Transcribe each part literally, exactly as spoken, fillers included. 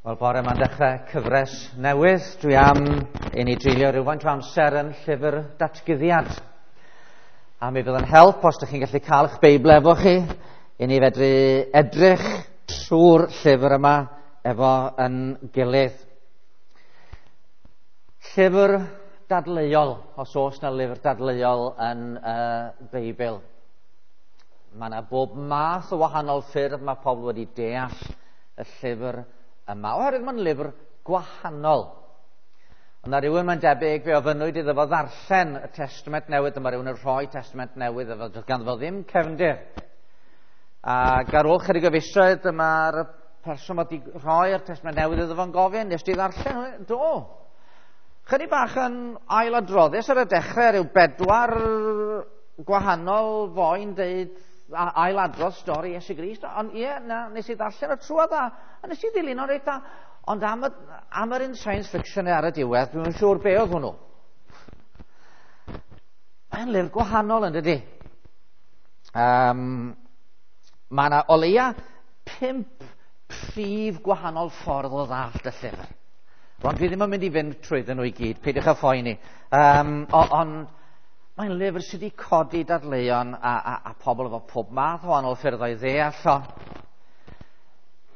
Wel, bore yma'n dechrau cyfres newydd. Dwi am i ni dreulio rhywfaint o amser yn llyfr datguddiad. A mi fydd yn help os ydych chi'n gallu cael eich Beibl efo chi, i ni fedru edrych trwy'r llyfr yma efo yn gilydd. Llyfr dadleuol, os oes na lyfr dadleuol yn y uh, Beibl. Mae yna bob math o wahanol ffyrdd mae pobl wedi deall y llyfr yma, oherwydd mae'n lyfr gwahanol. Ond na rhywun mae'n debyg fe ofynnwyd iddo fo ddarllen y Testament Newydd, dyma rhywun yn rhoi Testament Newydd, efo doedd ganddo fo ddim cefndir. Ac ar ôl chydig o fisoedd, dyma'r person wedi rhoi'r Testament Newydd iddo fo'n gofyn, nes di ddarllen? Do. Chydig bach yn ailadroddus ar y dechrau, rhyw bedwar gwahanol foi'n deud ailadrodd stori Iesu Grist, ond ie, na, nes i ddarllen y trwad a, a nes i ddilyn o'n reit dda. Ond am, y, am yr un science fiction ar y diwedd, dwi'n siŵr be oedd hwnnw. Mae'n lyfr gwahanol yn dydy. Um, mae yna o leia pump prif gwahanol ffordd o ddallt y llyfr. Ond dwi ddim yn mynd i fynd trwyddyn nhw i gyd, peidiwch â phoeni. Um, ond mae'n lyfr sydd wedi codi dadleuon a, a, a pobl efo pob math o wahanol ffyrdd o'i ddeall o.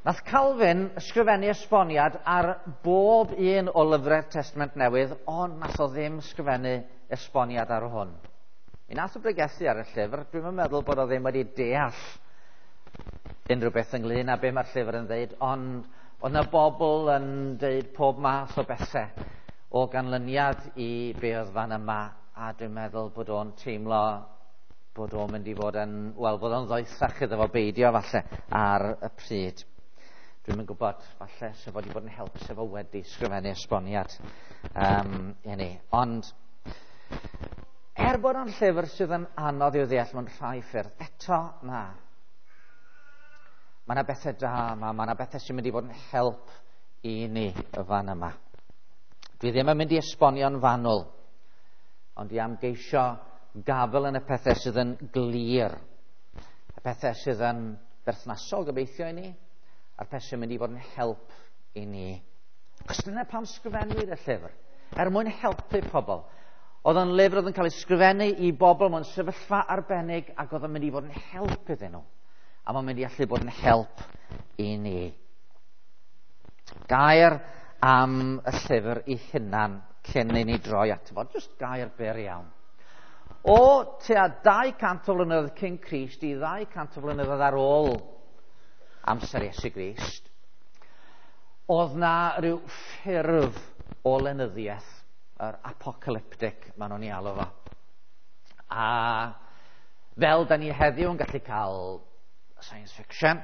Nath Calvin ysgrifennu esboniad ar bob un o lyfrau'r Testament Newydd, ond nath o ddim ysgrifennu esboniad ar hwn. Mi nath o bregethu ar y llyfr, dwi'm yn meddwl bod o ddim wedi deall unrhyw beth ynglyn â be mae'r llyfr yn dweud, ond oedd yna bobl yn dweud pob math o bethau o ganlyniad i be oedd fan yma, a dwi'n meddwl bod o'n teimlo bod o'n mynd i fod yn, wel, bod o'n ddoethach iddo fo beidio falle ar y pryd. Dwi'm yn gwybod, falle se fo wedi bod yn help se fo wedi sgrifennu esboniad um, i ni. Ond er bod o'n llyfr sydd yn anodd i'w ddeall mewn rhai ffyrdd, eto na. Mae yna bethau da yma, mae yna bethau sy'n mynd i fod yn help i ni y fan yma. Dwi ddim yn mynd i esbonio'n fanwl, ond i am geisio gafel yn y pethau sydd yn glir, y pethau sydd yn berthnasol gobeithio i ni, a'r pethau sy'n mynd i fod yn help i ni. Cos dyna pam sgrifennwyd y llyfr, er mwyn helpu pobl. Oedd o'n lyfr oedd yn cael ei sgrifennu i bobl mewn sefyllfa arbennig ac oedd o'n mynd i fod yn help iddyn nhw. A mae'n mynd i allu bod yn help i ni. Gair am y llyfr ei hunan cyn i ni droi ato fo. Just gair byr iawn. O tua dau cant o flynyddoedd cyn Crist i ddau cant o flynyddoedd ar ôl amser Iesu Grist, oedd na rhyw ffurf o lenyddiaeth, yr apocalyptic, maen nhw'n ei alw fo. A fel da ni heddiw yn gallu cael science fiction,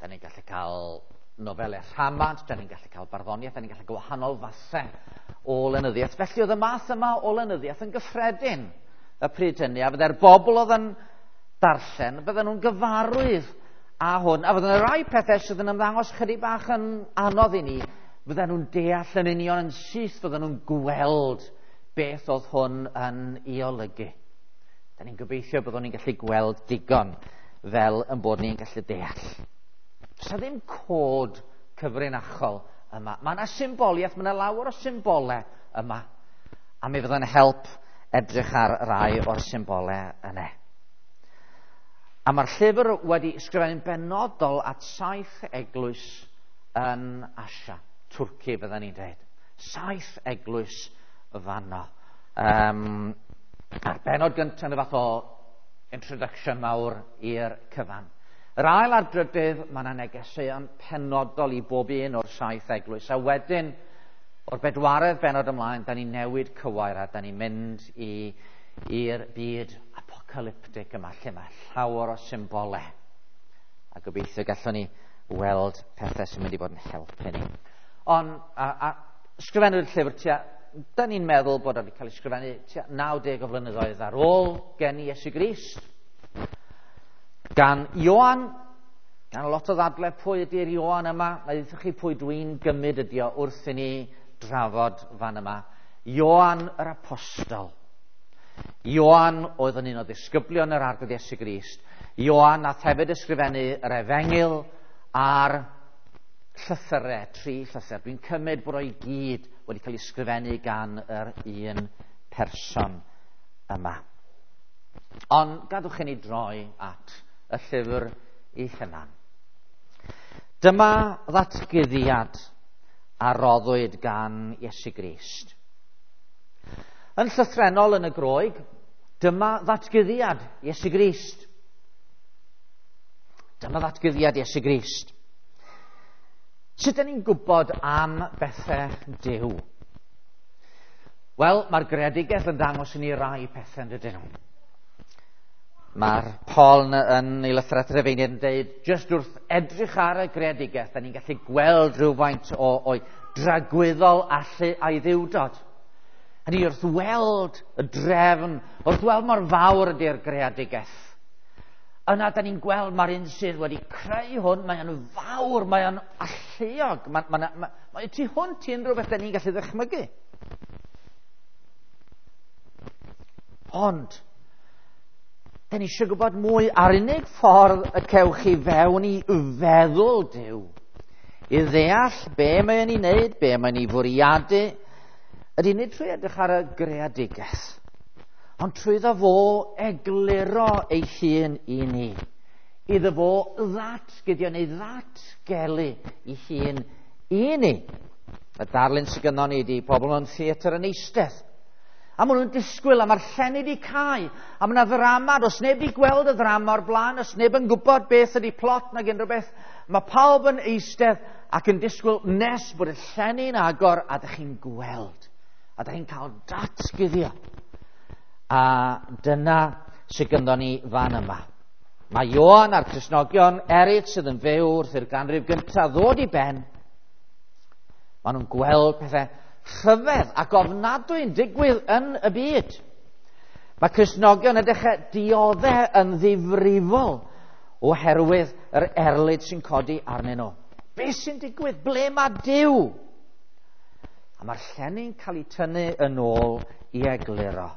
da ni'n gallu cael nofelau rhamant, da ni'n gallu cael barddoniaeth, da ni'n gallu gwahanol fathau o lenyddiaeth. Felly oedd y math yma o lenyddiaeth yn gyffredin y pryd hynny, a fydde'r bobl oedd yn darllen, fydden nhw'n gyfarwydd â hwn, a fydden nhw rai pethau sydd yn ymddangos chydig bach yn anodd i ni, fydden nhw'n deall yn union yn syth, fydden nhw'n gweld beth oedd hwn yn ei olygu. Da ni'n gobeithio byddwn ni'n gallu gweld digon fel yn bod ni'n gallu deall. Does 'na ddim cod cyfrinachol yma. Mae yna symboliaeth, mae yna lawer o symbolau yma. A mi fydd yn help edrych ar rai o'r symbolau yna. A mae'r llyfr wedi ysgrifennu'n benodol at saith eglwys yn Asia. Twrci fydden ni'n dweud. Saith eglwys fanno. Um, a'r benod gyntaf yn y fath o introduction mawr i'r cyfan. Yr ail a'r drydydd, mae yna negeseuon penodol i bob un o'r saith eglwys. A wedyn, o'r bedwaredd benod ymlaen, da ni'n newid cywair a da ni'n mynd i'r byd apocalyptic yma, lle mae llawer o symbolau. A gobeithio gallwn ni weld pethau sy'n mynd i fod yn helpu ni. Ond, a, a sgrifennwyd llyfr tua, da ni'n meddwl bod wedi cael ei sgrifennu tua naw deg o flynyddoedd ar ôl geni Iesu Grist. Gan Ioan, gan lot o ddadle pwy ydy'r Ioan yma, na ddweud chi pwy dwi'n gymryd ydi o wrth i ni drafod fan yma. Ioan yr Apostol. Ioan oedd yn un o ddisgyblion yr Arglwydd Iesu Grist. Ioan nath hefyd ysgrifennu yr Efengyl a'r llythyrau, tri llythyr. Dwi'n cymryd bod o'i gyd wedi cael ei sgrifennu gan yr un person yma. Ond gadwch i ni droi at y llyfr ei hunan. Dyma ddatguddiad a roddwyd gan Iesu Grist. Yn llythrennol yn y Groeg, dyma ddatguddiad Iesu Grist. Dyma ddatguddiad Iesu Grist. Sut ydyn ni'n gwybod am bethau Duw? Wel, mae'r greadigaeth yn dangos i ni rai pethau yn dydyn nhw. Mae'r Paul yn ei lythyr at Rufeiniaid yn dweud, jyst wrth edrych ar y greadigaeth, da ni'n gallu gweld rhywfaint o, o'i dragwyddol allu a'i ddiwdod. Hynny wrth weld y drefn, wrth weld mor fawr ydy'r greadigaeth. Yna, da ni'n gweld mae'r un sydd wedi creu hwn, mae o'n fawr, mae o'n alluog, mae, mae, mae, mae tu hwnt i unrhyw beth da ni'n gallu ddychmygu. Ond, da ni eisiau gwybod mwy a'r unig ffordd y cewch chi fewn i feddwl Duw, i ddeall be mae'n ei wneud, be mae'n ei fwriadu, ydy nid trwy edrych ar y greadigaeth, ond trwyddo fo egluro ei hun i ni. Iddo fo ddatguddio neu ddatgelu ei hun i ni. Y darlun sydd gynnon ni ydy pobl mewn theatr yn eistedd. A maen nhw'n disgwyl, a mae'r llenni wedi cau. A mae yna ddrama, does neb wedi gweld y ddrama o'r blaen, does neb yn gwybod beth ydy plot nag unrhyw beth. Mae pawb yn eistedd ac yn disgwyl nes bod y llenni'n agor a dych chi'n gweld. A dych chi'n cael datguddio. A dyna sydd gynddon ni fan yma. Mae Ioan a'r Cristnogion eraill sydd yn fyw wrth i'r ganrif gyntaf ddod i ben. Maen nhw'n gweld pethau rhyfedd ac ofnadwy yn digwydd yn y byd. Mae Cristnogion yn dechrau dioddef yn ddifrifol oherwydd yr erlid sy'n codi arnyn nhw. Be sy'n digwydd? Ble mae Duw? A mae'r llenni'n cael ei tynnu yn ôl i egluro.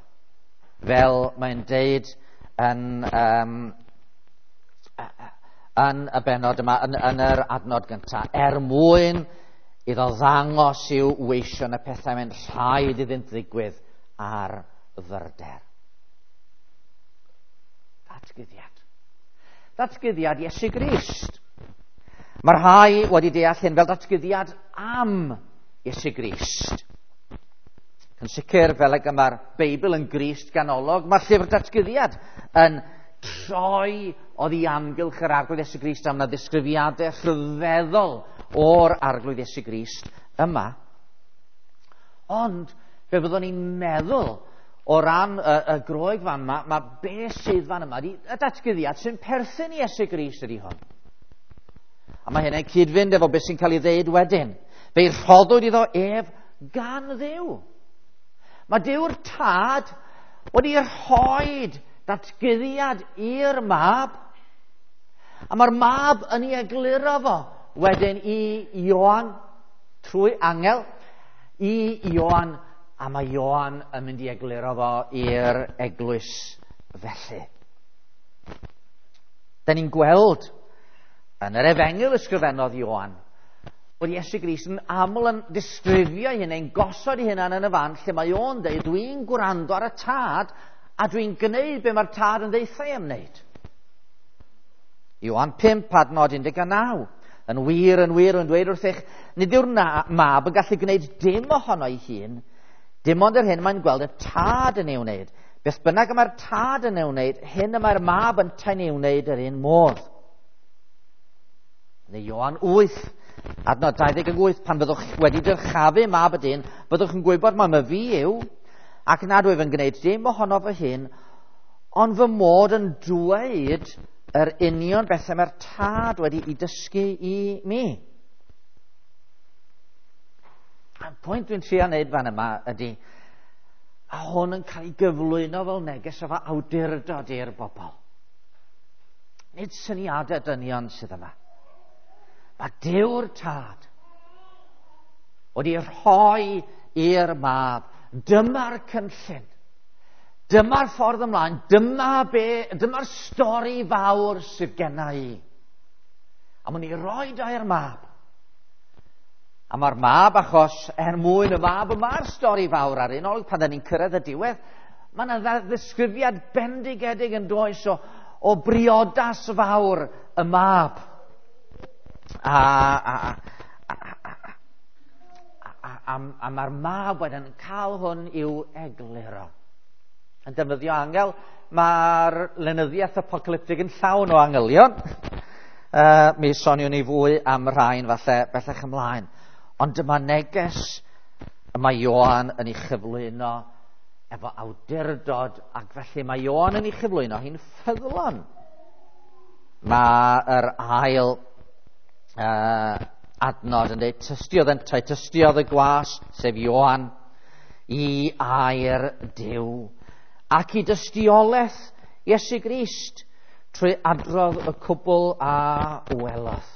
Fel mae'n deud yn, um, yn y bennod yma, yn, yn yr adnod gyntaf, er mwyn iddo ddangos i'w weision y pethau mae'n rhaid iddynt ddigwydd ar fyrder. Datguddiad. Datguddiad Iesu Grist. Mae rhai wedi deall hyn fel datguddiad am Iesu Grist. Yn sicr, fel ag y mae'r Beibl yn Grist ganolog, mae'r llyfr datguddiad yn troi oddi amgylch yr Arglwydd Iesu Grist am na ddisgrifiadau rhyfeddol o'r Arglwydd Iesu Grist yma. Ond, fe fyddwn ni'n meddwl o ran y, y Groeg fan yma, mae be sydd fan yma, y datguddiad sy'n perthyn i Iesu Grist ydy hwn. A mae hynny'n cyd-fynd efo beth sy'n cael ei ddeud wedyn. Fe'i rhoddwyd iddo ef gan Dduw. Mae Duw'r Tad wedi rhoi datguddiad i'r mab, a mae'r mab yn ei egluro fo wedyn i Ioan trwy angel, i Ioan, a mae Ioan yn mynd i egluro fo i'r eglwys felly. Da ni'n gweld yn yr efengyl ysgrifennodd Ioan bod Iesu Grist yn aml yn disgrifio ei hunain, gosod ei hunan yn y fan lle mae o'n dweud, dwi'n gwrando ar y Tad a dwi'n gwneud be mae'r Tad yn ddeutha i am wneud. Ioan pump, adnod un deg naw. Yn wir, yn wir, yn dweud wrthych, nid yw'r mab yn gallu gwneud dim ohono ei hun, dim ond yr hyn mae'n gweld y Tad yn ei wneud. Beth bynnag y mae'r Tad yn ei wneud, hyn y mae'r mab yntau'n ei wneud yr un modd. Neu Ioan wyth, adnod dau ddeg wyth, pan fyddwch wedi dyrchafu mab y dyn, byddwch yn gwybod mai my fi yw, ac nad wyf yn gwneud dim ohono fy hun, ond fy mod yn dweud yr union bethau mae'r Tad wedi ei dysgu i mi. A'r pwynt dwi'n trio wneud fan yma ydy, a hwn yn cael ei gyflwyno fel neges o awdurdod i'r bobl. Nid syniadau dynion sydd yma. Mae Duw'r Tad wedi rhoi i'r mab. Dyma'r cynllun. Dyma'r ffordd ymlaen. Dyma be, dyma'r stori fawr sydd genna i. A mwyn i roi da i'r mab. A mae'r mab, achos er mwyn y mab, y mae'r stori fawr ar un olwg, pan da ni'n cyrraedd y diwedd, mae yna ddisgrifiad bendigedig yn does o, o briodas fawr y mab. A, a, a, a, a, a, a, a mae'r mab wedyn yn cael hwn i'w egluro. Yn defnyddio angel, mae'r lenyddiaeth apocalyptig yn llawn o angylion. Uh, mi soniwn ni fwy am rhain falle bellach ymlaen. Ond dyma neges y mae Ioan yn ei chyflwyno efo awdurdod, ac felly mae Ioan yn ei chyflwyno hi'n ffyddlon. Mae'r ail uh, adnod yn dweud, tystiodd yntau, tystiodd y gwas, sef Ioan, i air Duw, ac i dystiolaeth Iesu Grist, trwy adrodd y cwbl a welodd.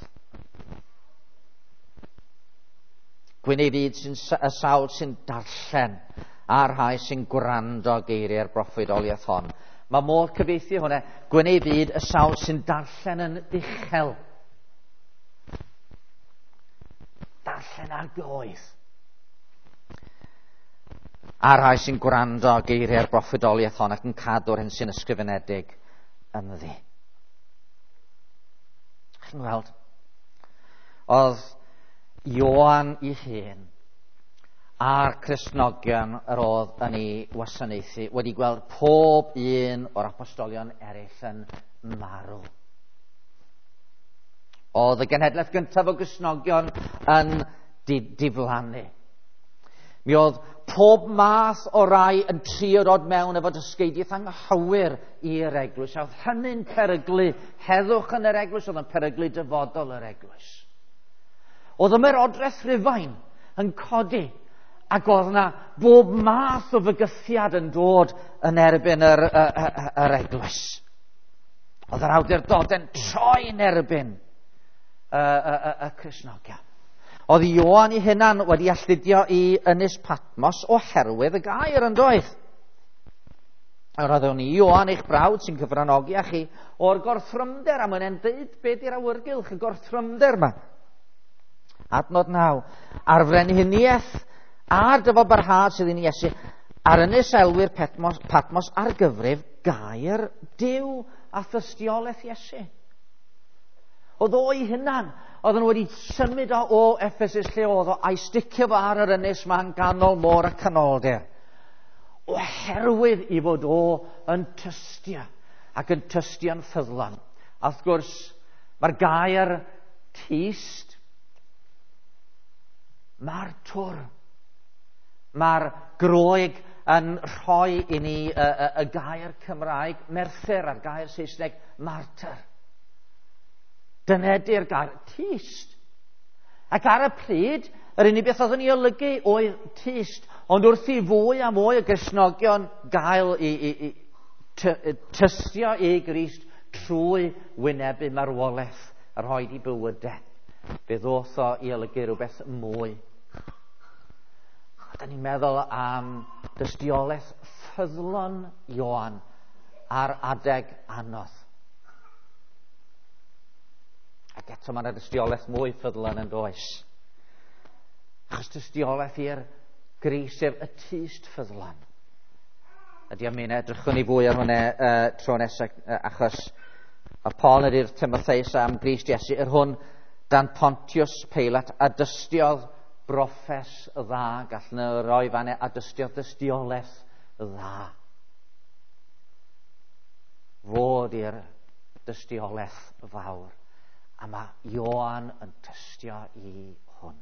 Gwyn ei fyd sy'n y sawl sy'n darllen a'r rhai sy'n gwrando geiriau'r broffwydoliaeth hon. Mae modd cyfieithu hwnna, gwyn ei fyd y sawl sy'n darllen yn uchel. Darllen ar goedd. A'r rhai sy'n gwrando geiriau'r broffwydoliaeth hon ac yn cadw'r hyn sy'n ysgrifenedig ynddi. Chi'n gweld? Oedd Ioan ei hun a'r Cristnogion yr oedd yn ei wasanaethu wedi gweld pob un o'r apostolion eraill yn marw. Oedd y genhedlaeth gyntaf o Gristnogion yn diflannu. Mi oedd pob math o rai yn trio dod mewn efo dysgeidiaeth anghywir i'r eglwys. A oedd hynny'n peryglu heddwch yn yr eglwys, oedd yn peryglu dyfodol yr eglwys. Oedd ymerodraeth Rhufain yn codi, ac oedd yna bob math o fygythiad yn dod yn erbyn yr, yr, yr, yr eglwys. Oedd yr awdurdodau'n troi yn erbyn y, y, y, y Cristnogion. Oedd Ioan ei hunan wedi alltudio i Ynys Patmos oherwydd y gair yn doedd. Yr oeddwn i Ioan eich brawd sy'n cyfranogi â chi o'r gorthrymder, a mae'n deud be di'r awyrgylch y gorthrymder yma. Adnod naw. A'r frenhiniaeth a'r dyfalbarhad sydd yn Iesu ar ynys elwyr Patmos, Patmos ar gyfrif gair Duw a thystiolaeth Iesu. Oedd o'i hunan, oedden nhw wedi symud o, o Ephesus lle oedd o, a'i sticio fo ar yr ynys ma'n ganol môr y canoldir. Oherwydd i fod o yn tystio, ac yn tystio'n ffyddlon. A wrth gwrs, mae'r gair tyst, mae'r twr, mae'r Groeg yn rhoi i ni y, y, y gair Cymraeg merthyr a'r gair Saesneg martyr. Dyna ydy'r gair tyst. Ac ar y pryd, yr unig beth oedd yn ei olygu oedd tyst. Ond wrth i fwy a mwy o Gristnogion gael i, i, i ty, tystio i Grist trwy wynebu marwolaeth a rhoi i bywydau, fe ddoth o i olygu rhywbeth mwy. A da ni'n meddwl am dystiolaeth ffyddlon Ioan ar adeg anodd. Ac eto mae yna dystiolaeth mwy ffyddlon yn does. Achos dystiolaeth i'r Grist, sef y tyst ffyddlon. Ydy am un edrychwn ni fwy ar hwnna uh, tro nesaf, uh, achos a Paul ydy'r Timotheus am Grist Iesu, yr hwn dan Pontius Pilate a dystiodd broffes dda, gallwn nhw roi fanna, a dystiodd dystiolaeth dda. Fod i'r dystiolaeth fawr. A mae Ioan yn tystio i hwn.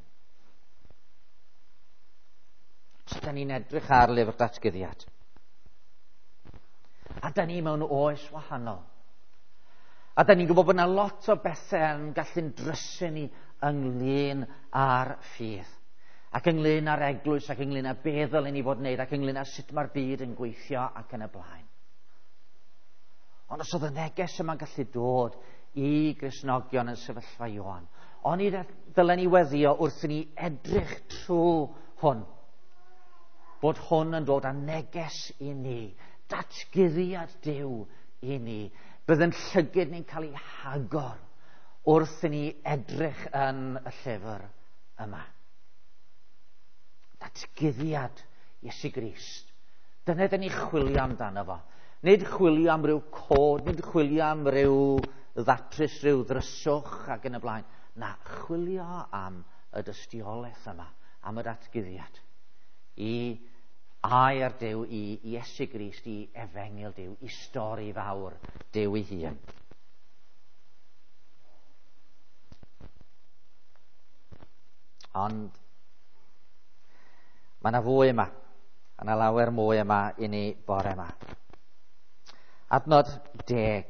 So, da ni'n edrych ar lyfr datguddiad. A da ni mewn oes wahanol. A da ni'n gwybod bod yna lot o bethau yn gallu'n drysu ni ynglyn â'r ffydd. Ac ynglyn â'r eglwys, ac ynglyn â be ddylen ni fod yn wneud, ac ynglyn â sut mae'r byd yn gweithio ac yn y blaen. Ond os oedd y neges yma'n gallu dod i Gristnogion yn sefyllfa Ioan, oni ddylen ni weddio wrth i ni edrych trwy hwn, bod hwn yn dod â neges i ni, datguddiad Duw i ni. Bydd yn llygid ni'n cael ei hagor wrth i ni edrych yn y llyfr yma. Datguddiad Iesu Grist. Dyna dyn ni chwilio amdano fo. Nid chwilio am ryw cod, nid chwilio am ryw ddatrys, rhyw ddryswch ac yn y blaen. Na, chwilio am y dystiolaeth yma, am y datguddiad. I air Duw, i Iesu Grist, i efengyl Duw, i stori fawr Duw ei hun. Ond mae yna fwy yma. Mae yna lawer mwy yma i ni bore yma. Adnod deg.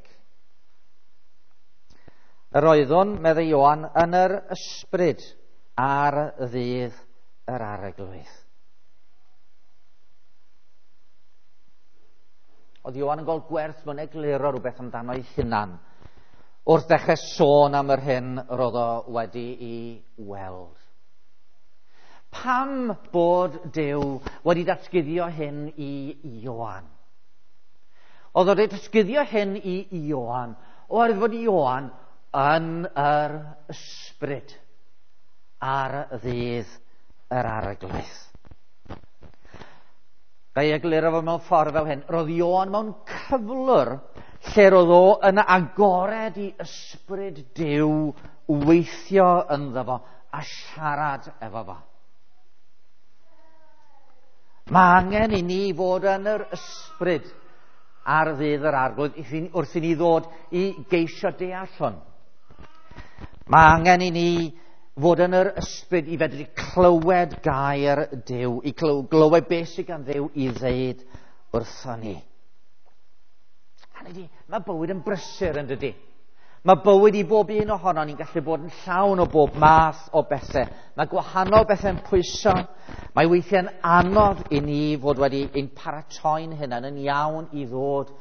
Yr oeddwn, meddai Ioan, yn yr ysbryd ar ddydd yr Arglwydd. Oedd Ioan yn gweld gwerth mewn egluro rhywbeth amdano ei hunan wrth ddechrau sôn am yr hyn roedd o wedi'i weld. Pam bod Duw wedi datguddio hyn i Ioan? Oedd o wedi datguddio hyn i Ioan oherwydd fod Ioan yn yr ysbryd ar ddydd yr Arglwydd. Ga i egluro fo mewn ffordd fel hyn. Roedd Ioan mewn cyflwr lle roedd o yn agored i ysbryd Duw weithio ynddo fo a siarad efo fo. Mae angen i ni fod yn yr ysbryd ar ddydd yr Arglwydd wrth i ni ddod i geisio deall hwn. Mae angen i ni fod yn yr ysbryd i fedru clywed gair Duw, i glywed beth sydd gan Dduw i ddeud wrthon ni. Hynny ydi, mae bywyd yn brysur yn dydi. Mae bywyd i bob un ohono ni'n gallu bod yn llawn o bob math o bethau. Mae gwahanol bethau'n pwyso. Mae weithiau'n anodd i ni fod wedi ein paratoi'n hunain yn iawn i ddod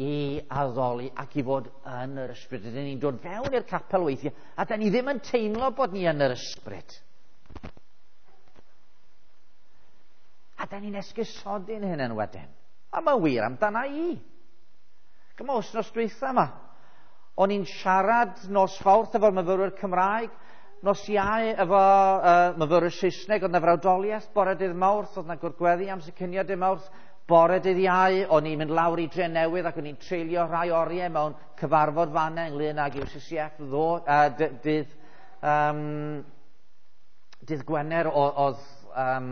i addoli ac i fod yn yr ysbryd. Rydyn ni'n dod fewn i'r capel weithiau a da ni ddim yn teimlo bod ni yn yr ysbryd. A da ni'n esgusodi'n hunain wedyn. A mae'n wir amdana i. Gyma wythnos dwytha yma. O'n i'n siarad nos Fawrth efo'r myfyrwyr Cymraeg, nos Iau efo uh, myfyrwyr Saesneg, oedd 'na frawdoliaeth bore dydd Mawrth, oedd 'na gwrthgweddi amser cinio dydd Mawrth, bore dydd Iau, o'n i'n mynd lawr i Dre Newydd ac o'n i'n treulio rhai oriau mewn cyfarfod fanna ynglyn ag U C C F ddo, uh, dydd, um, dydd Gwener oedd, um,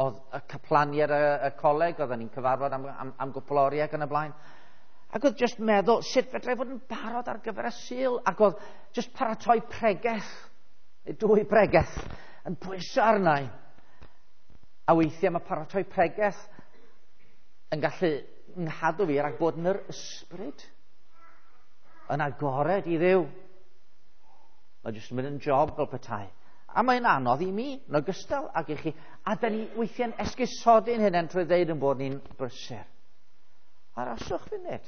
oedd y caplaniad y, y coleg, oedden ni'n cyfarfod am, am, am gwpl oriau ac yn y blaen. Ac oedd jyst meddwl, sut fedrai fod yn barod ar gyfer y Sul? Ac oedd jyst paratoi pregeth, neu dwy bregeth, yn pwyso arna i. A weithiau mae paratoi pregeth yn gallu nghadw fi rhag bod yn yr ysbryd, yn agored i Dduw. Mae jyst yn mynd yn job fel petai. A mae'n anodd i mi, yn ogystal ag i chi. A da ni weithiau'n esgusodi'n hynny trwy ddeud yn bod ni'n brysur. Aroswch funud.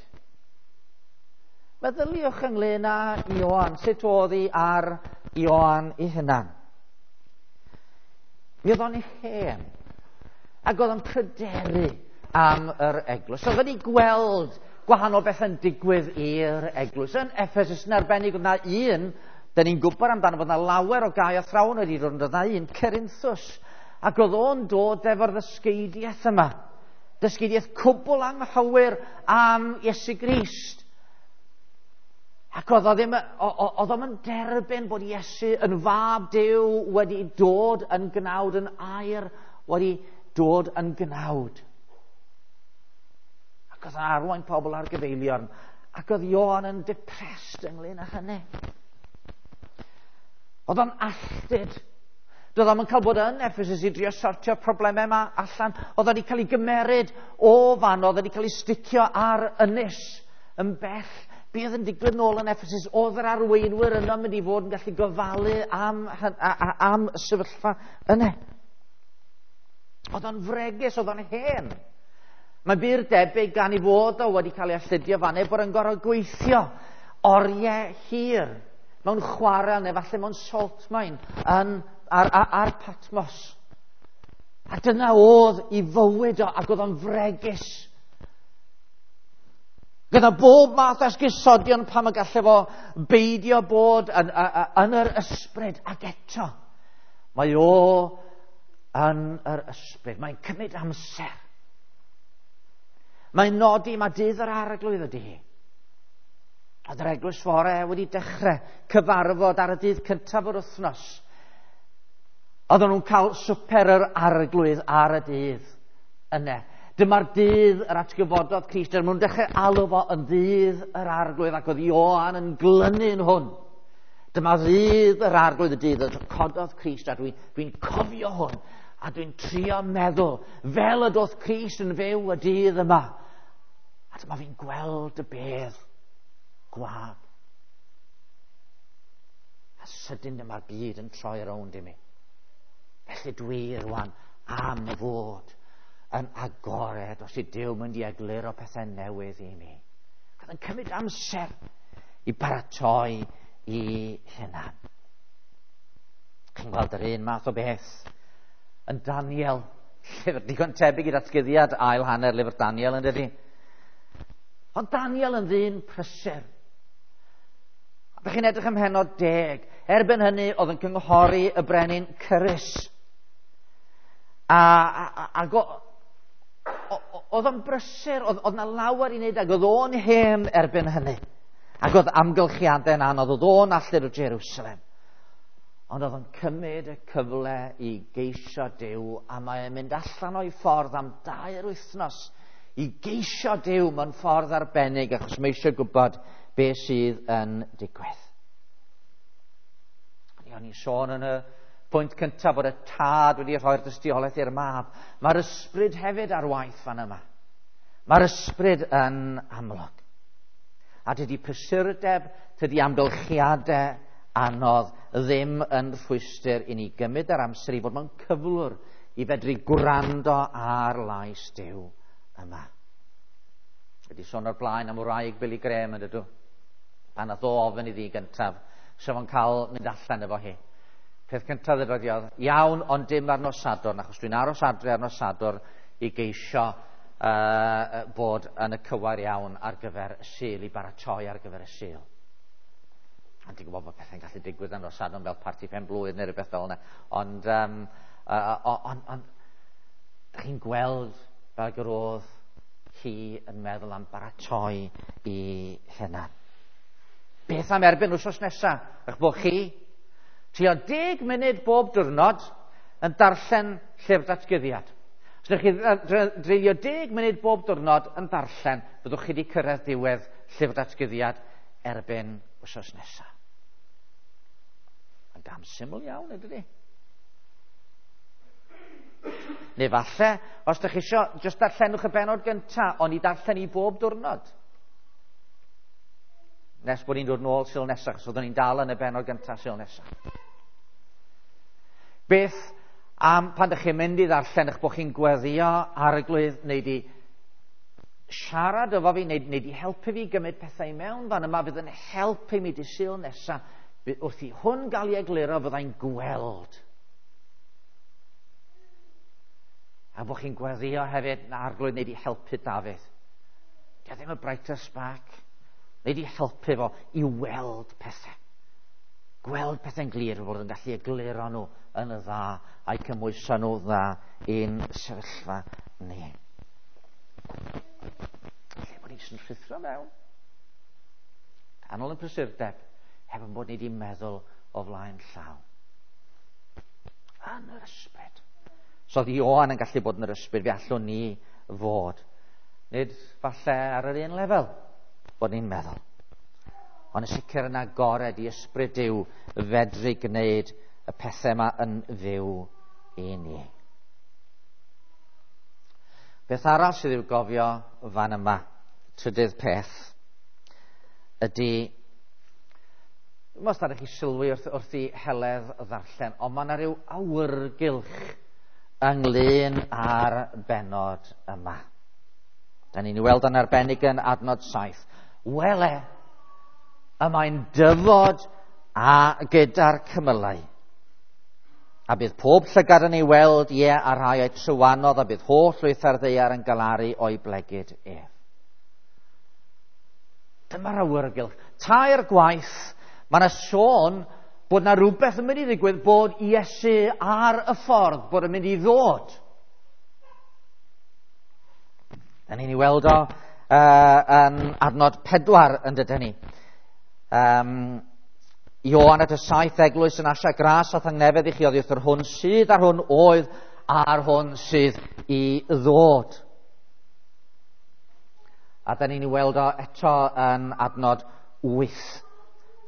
Meddyliwch ynglyn â Ioan, sut oedd hi ar Ioan ei hunan. Mi oedd o'n hen, ac oedd o'n pryderu am yr eglwys. Oedd wedi gweld gwahanol bethau'n digwydd i'r eglwys. Yn Ephesus yn arbennig, oedd 'na un, da ni'n gwybod amdano, bod 'na lawer o gau athrawon wedi dod, ond oedd 'na un, Cerinthus, ac oedd o'n dod efo'r ddysgeidiaeth yma. Dysgeidiaeth cwbl anghywir am Iesu Grist. Ac oedd o ddim, oedd o'm yn derbyn bod Iesu yn fab Duw wedi dod yn gnawd, yn air wedi dod yn gnawd. Ac oedd o'n arwain pobl ar gyfeiliorn. Ac oedd Ioan yn depressed ynglyn â hynny. Oedd o'n alltud. Doedd o'm yn cael bod yn Ephesus i drio sortio'r problemau yma allan. Oedd wedi cael ei gymeryd o fan, oedd wedi cael ei sticio ar ynys yn bell. Be oedd yn digwydd nôl yn Ephesus? Oedd yr arweinwyr yno mynd i fod yn gallu gofalu am, am y sefyllfa yna. Oedd o'n fregus, oedd o'n hen. Mae bur debyg gan i fod o wedi cael ei alltudio fan, bod yn gorfod gweithio oriau hir mewn chwarel neu falle mewn salt mine yn, ar, ar, ar Patmos. A dyna oedd i fywyd o, ac oedd o'n fregus. Gyda bob math o esgusodion pam y gallai fo beidio bod yn, yn, yn yr ysbryd, ac eto mae o yn yr ysbryd. Mae'n cymryd amser. Mae'n nodi mae dydd yr Arglwydd ydy hi. Oedd yr eglwys fore wedi dechrau cyfarfod ar y dydd cyntaf o'r wythnos. Oedden nhw'n cael swper yr Arglwydd ar y dydd yna. Dyma'r dydd yr atgyfododd Crist. Dyma nhw'n dechrau alw fo yn ddydd yr Arglwydd, ac oedd Ioan yn glynu'n hwn. Dyma ddydd yr Arglwydd, y dydd y cododd Crist, a dwi'n dwi cofio hwn, a dwi'n trio meddwl fel y doth Crist yn fyw y dydd yma. A dyma fi'n gweld y bedd gwag. A sydyn dyma'r byd yn troi rownd i mi. Felly dwi rwan am fod yn agored os i Duw mynd i egluro pethau newydd i mi. Oedd yn cymryd amser i baratoi i hunan. Chi'n gweld yr un math o beth yn Daniel. Llyfr digon tebyg i ddatguddiad ail hanner lyfr Daniel, yn dydi? Ond Daniel yn ddyn prysur. A chi'n edrych ym mhennod deg. Erbyn hynny oedd yn cynghori y brenin Cyrus. A, a, a, a go, oedd o'n brysur, oedd, oedd na lawer i wneud, ac oedd o'n hen erbyn hynny. Ac oedd amgylchiadau'n anodd, oedd o'n allu o Jerusalem. Ond oedd o'n cymryd y cyfle i geisio Duw, a mae'n mynd allan o'i ffordd am dair wythnos i geisio Duw mewn ffordd arbennig, achos mae eisiau gwybod beth sydd yn digwydd. O'n i'n sôn yn y pwynt cyntaf bod y tad wedi rhoi'r dystiolaeth i'r mab. Mae'r ysbryd hefyd ar waith fan yma. Mae'r ysbryd yn amlwg. A dydy prysurdeb, dydy amgylchiadau anodd ddim yn rhwystr i ni gymryd yr amser i fod mewn cyflwr i fedru gwrando ar lais Duw yma. Wedi sôn o'r blaen am wraig Billy Graham yn dydw. Pan nath o ofyn iddi gyntaf, sef o'n cael mynd allan efo hi. Peth cyntaf ddedodd hi oedd, iawn, ond dim ar nos Sadwrn, achos dwi'n aros adre ar nos Sadwrn i geisio uh, bod yn y cywair iawn ar gyfer y Sul, i baratoi ar gyfer y Sul. A ti'n gwybod bod pethau'n gallu digwydd ar nos Sadwrn fel parti pen blwydd neu rhywbeth fel yna. Ond, um, uh, on, on, on, chi'n gweld fel yr oedd hi yn meddwl am baratoi i hunan. Beth am erbyn wythnos nesaf? Eich bod chi tua deg munud bob diwrnod yn darllen llyfr datguddiad. Os ydych chi dreulio deg munud bob diwrnod yn darllen, byddwch chi wedi cyrraedd diwedd llyfr datguddiad erbyn wythnos nesaf. Mae'n gam syml iawn, ydydi? Neu falle, os ydych chi isio, jyst darllenwch y bennod gyntaf, ond i darllen i bob diwrnod. Nes bod ni'n dod nôl Sul nesaf, achos oeddwn ni'n dal yn y bennod gyntaf Sul nesaf. Beth am pan ydych chi'n mynd i ddarllen eich bod chi'n gweddio Arglwydd, neu di siarad efo fi, neu, neu di helpu fi gymryd pethau i mewn fan yma, fydd yn helpu mi di Sul nesaf, wrth i hwn gael ei egluro, fyddai'n gweld. A bod chi'n gweddio hefyd, na Arglwydd, neu di helpu Dafydd. Di ddim y brighter spark. Neu di helpu fo i weld pethau. Gweld pethau'n glir, fod yn gallu egluro nhw yn y dda a'i cymhwyso nhw dda i'n sefyllfa ni. Lle bod ni jyst yn rhuthro mewn. Canol yn prysurdeb, heb yn bod ni wedi meddwl o flaen llaw. Yn yr ysbryd. So oedd Ioan yn gallu bod yn yr ysbryd, fe allwn ni fod. Nid falle ar yr un lefel bod ni'n meddwl. Ond yn sicr yn agored i ysbryd Duw fedru gwneud y pethau yma yn fyw i ni. Beth arall sydd i'w gofio fan yma, trydydd peth, ydy, os ydych chi sylwi wrth, wrth i Heledd ddarllen, ond mae yna rhyw awyrgylch ynglyn â'r bennod yma. Da ni'n ei weld yn arbennig yn adnod saith. Wele, y mae'n dyfod a gyda'r cymylau. A bydd pob llygad yn ei weld, ie, a rhai o'i trywanodd, a bydd holl lwyth ar ddaear yn galaru o'i blegid ef. Dyma'r awyrgylch. Tair gwaith, mae yna sôn bod na rhywbeth yn mynd i ddigwydd, bod Iesu ar y ffordd, bod yn mynd i ddod. Da ni'n ei weld o uh, yn adnod pedwar yn dydyn ni. Um, Ioan at y saith eglwys yn Asia, gras a thangnefedd i chi oddi wrth yr hwn sydd a'r hwn oedd a'r hwn sydd i ddod. A da ni'n ei weld o eto yn adnod wyth.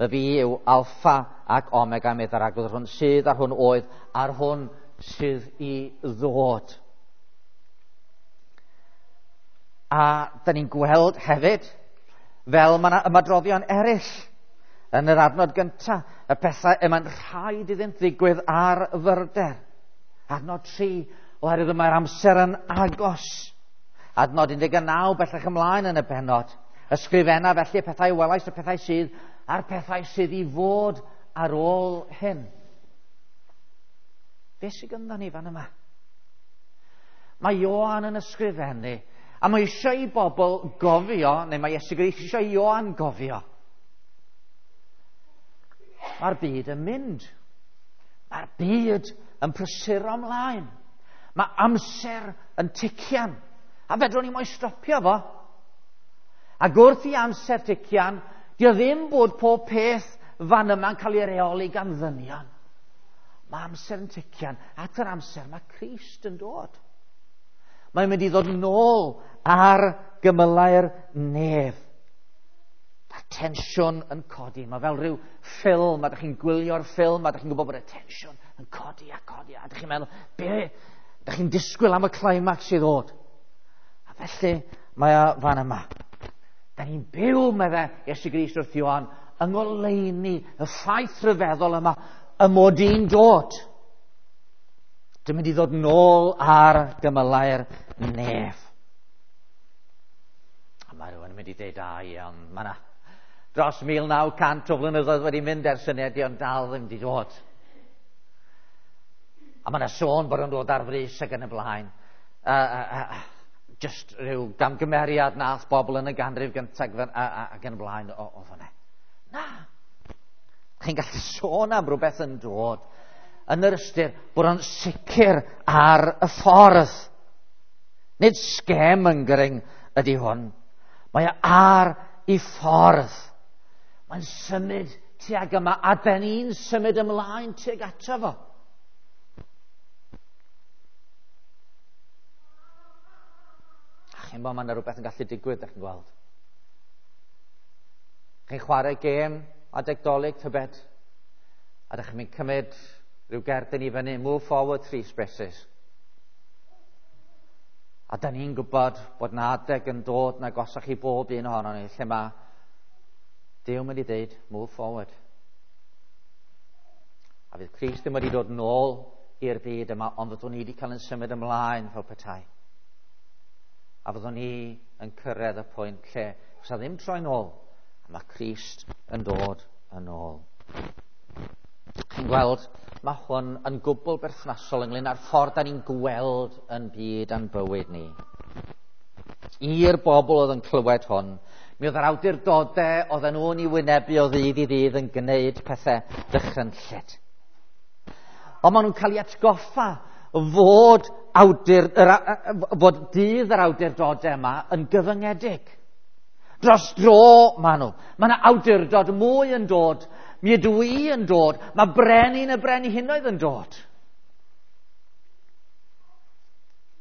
Y fi yw Alpha ac Omega, meddai'r Arglwydd, yr hwn sydd a'r hwn oedd a'r hwn sydd i ddod. A da ni'n gweld hefyd, fel mae yna ymadroddion eraill yn yr adnod gyntaf, y pethau y mae'n rhaid iddynt ddigwydd ar fyrder. Adnod tri, oherwydd mae'r amser yn agos. Adnod un deg naw bellach ymlaen yn y bennod. Ysgrifenna felly y pethau welais, y pethau sydd, a'r pethau sydd i fod ar ôl hyn. Be sydd gynddon ni fan yma? Mae Ioan yn ysgrifennu, a mae eisiau i bobl gofio, neu mae Iesu Grist eisiau i Ioan gofio. Mae'r byd yn mynd. Mae'r byd yn prysuro ymlaen. Mae amser yn tician. A fedrwn ni mo'i stopio fo. Ac wrth i amser tician, dio ddim bod pob peth fan yma'n cael ei reoli gan ddynion. Mae amser yn tician. At yr amser mae Crist yn dod. Mae'n mynd i ddod nôl ar gymylau'r nef. Mae'r tensiwn yn codi. Mae fel rhyw ffilm, a dych chi'n gwylio'r ffilm, a dych chi'n gwybod bod y tensiwn yn codi a codi, a dych chi'n meddwl, be? Dych chi'n disgwyl am y climax i ddod. A felly, mae o fan yma. Da ni'n byw, medde Iesu Grist wrth Ioan, yng ngoleuni y ffaith rhyfeddol yma, y mod i'n dod. Dwi'n mynd i ddod nôl ar gymylau'r nef. A mae rhywun yn mynd i dweud, a ie, ond mae yna dros mil naw cant o flynyddoedd wedi mynd ers hynny, ond dal ddim wedi dod. A mae yna sôn bod o'n dod ar frys ac yn y blaen. Uh, uh, uh, just rhyw gamgymeriad nath bobl yn y ganrif gyntaf ac yn y blaen o, o fanna. Na. Chi'n gallu sôn am rhywbeth yn dod yn yr ystyr bod o'n sicr ar y ffordd. Nid scaremongering ydy hwn. Mae o ar ei ffordd. Mae'n symud tuag yma, a ben ni'n symud ymlaen tuag ato fo. A chi'n bod, mae yna rhywbeth yn gallu digwydd, ydych chi'n gweld. Chi'n chwarae gêm adeg Dolig, tybed, a ydych chi'n mynd cymryd rhyw gerdyn i fyny, move forward three spaces. A da ni'n gwybod bod na adeg yn dod na gosach i bob un ohono ni, lle mae Duw mynd i ddeud, move forward. A fydd Crist ddim wedi dod nôl i'r byd yma, ond fyddwn ni wedi cael yn symud ymlaen fel petai. A fyddwn ni yn cyrraedd y pwynt lle fysa ddim troi nôl, a mae Crist yn dod yn ôl. Chi'n gweld, mae hwn yn gwbl berthnasol ynglyn â'r ffordd da ni'n gweld yn byd a'n bywyd ni. I'r bobl oedd yn clywed hwn, mi oedd yr awdurdodau oedden nhw'n ei wynebu o ddydd i ddydd yn gwneud pethau dychrynllyd. Ond maen nhw'n cael ei atgoffa fod, awdur, yr, fod dydd yr awdurdodau yma yn gyfyngedig. Dros dro maen nhw. Mae yna awdurdod mwy yn dod. Mi ydw i yn dod. Mae brenin y brenhinoedd yn dod.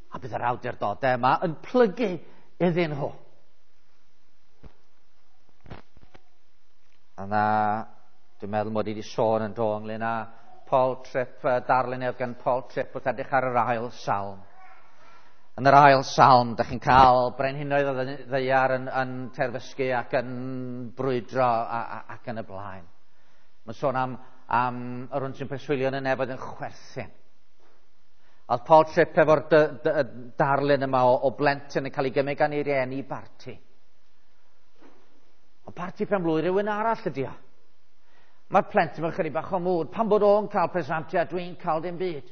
A bydd yr awdurdodau yma yn plygu iddyn nhw. A na, dwi'n meddwl mod i wedi sôn yn do ynglyn â Paul Tripp, darlun oedd gan Paul Tripp wrth edrych ar yr ail salm. Yn yr ail salm, da chi'n cael brenhinoedd o ddaear yn, yn terfysgu ac yn brwydro a, a, ac yn y blaen. Mae'n sôn am, am yr hwn sy'n preswylio yn y nefoedd yn chwerthin. Oedd Paul Tripp efo'r darlun yma o, o blentyn yn cael ei gymryd gan ei rieni i barti. Ond parti pen-blwydd rhywun arall ydi o. Mae'r plentyn mewn chydig bach o mwd. Pan bod o'n cael presantiau, dwi'n cael dim byd.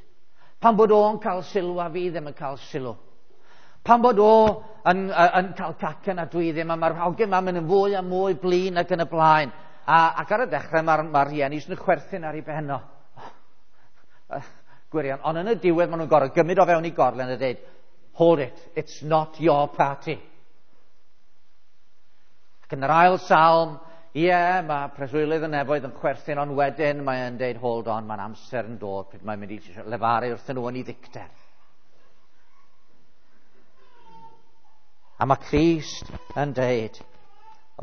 Pan bod o'n cael sylw a fi ddim yn cael sylw. Pan bod o yn, yn, yn cael cacen a dwi ddim, a mae'r hogyn ma'n mynd yn fwy a mwy blin ac yn y blaen. A, ac ar y dechrau mae'r ma rhieni sy'n chwerthin ar ei ben o. Gwirion. Ond yn y diwedd maen nhw'n gorfod gymryd o fewn i gorlen a dweud, hold it, it's not your party. Ac yn yr ail salm, ie, yeah, mae preswylydd y nefoedd yn chwerthin, ond wedyn mae'n deud, hold on, mae'n amser yn dod, pryd mae'n mynd i lefaru wrthyn nhw yn ei ddicter. A mae Crist yn deud,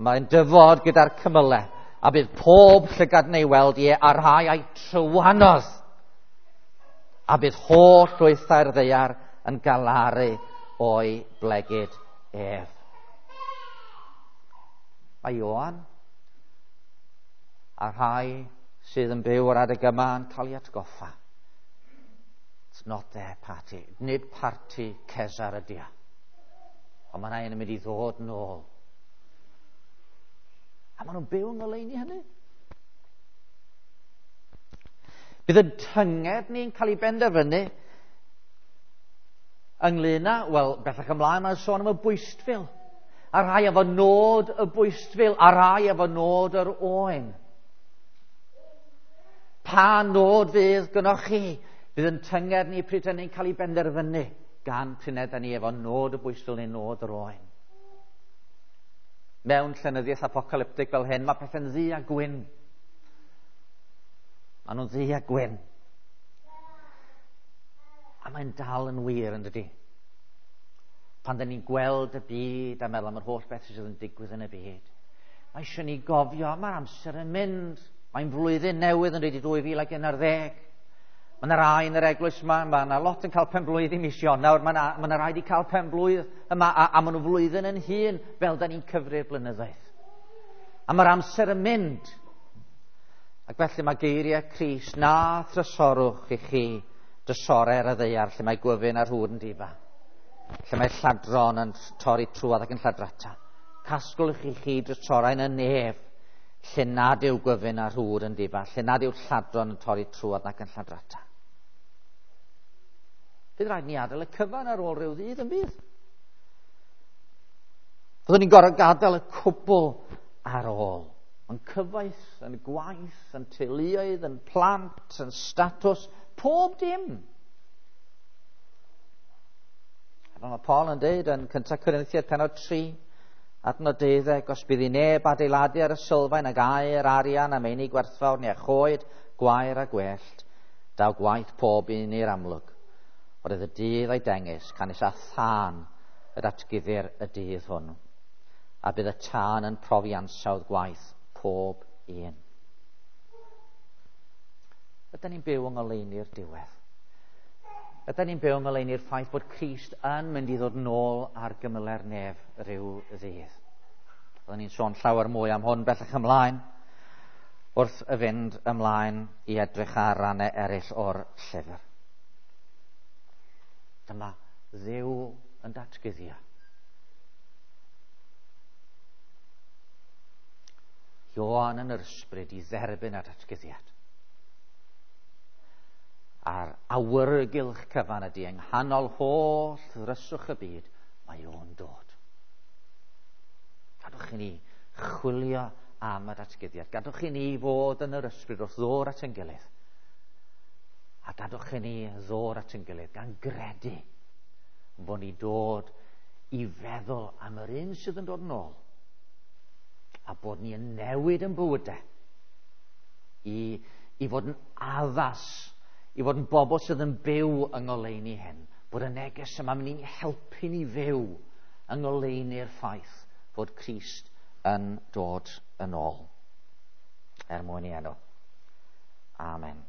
mae'n dyfod gyda'r cymylau, a bydd pob llygad yn ei weld, ie, a rhai a'i trywanodd, a bydd holl llwythau'r ddaear yn galaru o'i blegid ef. Mae Ioan a rhai sydd yn byw ar adeg yma yn cael ei atgoffa. It's not their party. Nid parti Cesar ydy o. Ond mae yna un yn mynd i ddod nôl. A maen nhw'n byw yng ngoleuni hynny. Bydd y tynged ni'n cael ei benderfynu ynglyn â, wel, bellach ymlaen mae'n sôn am y bwystfil. A rhai efo nod y bwystfil, a rhai efo nod yr oen. Pa nod fydd gynnoch chi? Bydd yn tynged ni pryd ni'n cael ei benderfynu gan pryd ydyn ni efo nod y bwystfil neu nod yr oen. Mewn llenyddiaeth apocalyptig fel hyn, mae pethau'n ddu a gwyn. Maen nhw'n ddu a gwyn. A mae'n dal yn wir, yn dydi? Pan dyn ni'n gweld y byd a meddwl am yr holl beth sydd yn digwydd yn y byd, mae eisiau ni gofio, mae'r amser yn mynd. Mae'n flwyddyn newydd yn dweud i dwy fil ac un ar ddeg. Mae yna rai yn yr eglwys yma, mae yna lot yn cael penblwydd i mis Ionawr, mae yna, mae yna rai wedi cael penblwydd yma, a, a maen nhw flwyddyn yn hun fel da ni'n cyfri'r blynyddoedd. A mae'r amser yn mynd. Ac felly mae geiriau Crist, na thrysorwch i chi drysorau ar y ddaear lle mae gwyfyn a'r hwd yn difa, lle mae lladron yn torri trwodd ac yn lladrata. Casglwch i chi drysorau yn y nef, lle nad yw gwyfyn a'r hwd yn difa, lle nad yw lladron yn torri trwodd ac yn lladrata. Bydd rhaid ni adael y cyfan ar ôl rhyw ddydd yn bydd. Byddwn ni'n gorfod gadael y cwbl ar ôl. Yn cyfoeth, yn gwaith, yn teuluoedd, yn plant, yn statws, pob dim. A fel mae Paul yn dweud yn Cyntaf Corinthiaid pennod tri, adnod deuddeg, os bydd i neb adeiladu ar y sylfaen ag aur, arian a meini gwerthfawr neu a choed, gwair a gwellt, daw gwaith pob un i'r amlwg. Oedd y dydd a'i dengys, canys a thân y datguddir y dydd hwn, a bydd y tân yn profi ansawdd gwaith pob un. Ydyn ni'n byw yng ngoleuni'r diwedd? Ydyn ni'n byw yng ngoleuni'r ffaith bod Crist yn mynd i ddod nôl ar gymyle'r nef rhyw ddydd? Byddwn ni'n sôn llawer mwy am hwn bellach ymlaen wrth y fynd ymlaen i edrych ar rannau eraill o'r llyfr. Dyma Dduw yn datguddio. Ioan yn yr ysbryd i dderbyn y datguddiad. A'r awyrgylch cyfan ydy yng nghanol holl ddryswch y byd, mae o'n dod. Gadwch i ni chwilio am y datguddiad. Gadwch i ni fod yn yr ysbryd wrth ddod at ein gilydd. A gadwch i ni ddod at ein gilydd gan gredu bod ni dod i feddwl am yr un sydd yn dod yn ôl, a bod ni yn newid yn bywydau i, i fod yn addas, i fod yn bobl sydd yn byw yng ngoleuni hyn, bod y neges yma mynd i'n helpu ni fyw yng ngoleuni'r ffaith fod Crist yn dod yn ôl. Er mwyn i enw. Amen.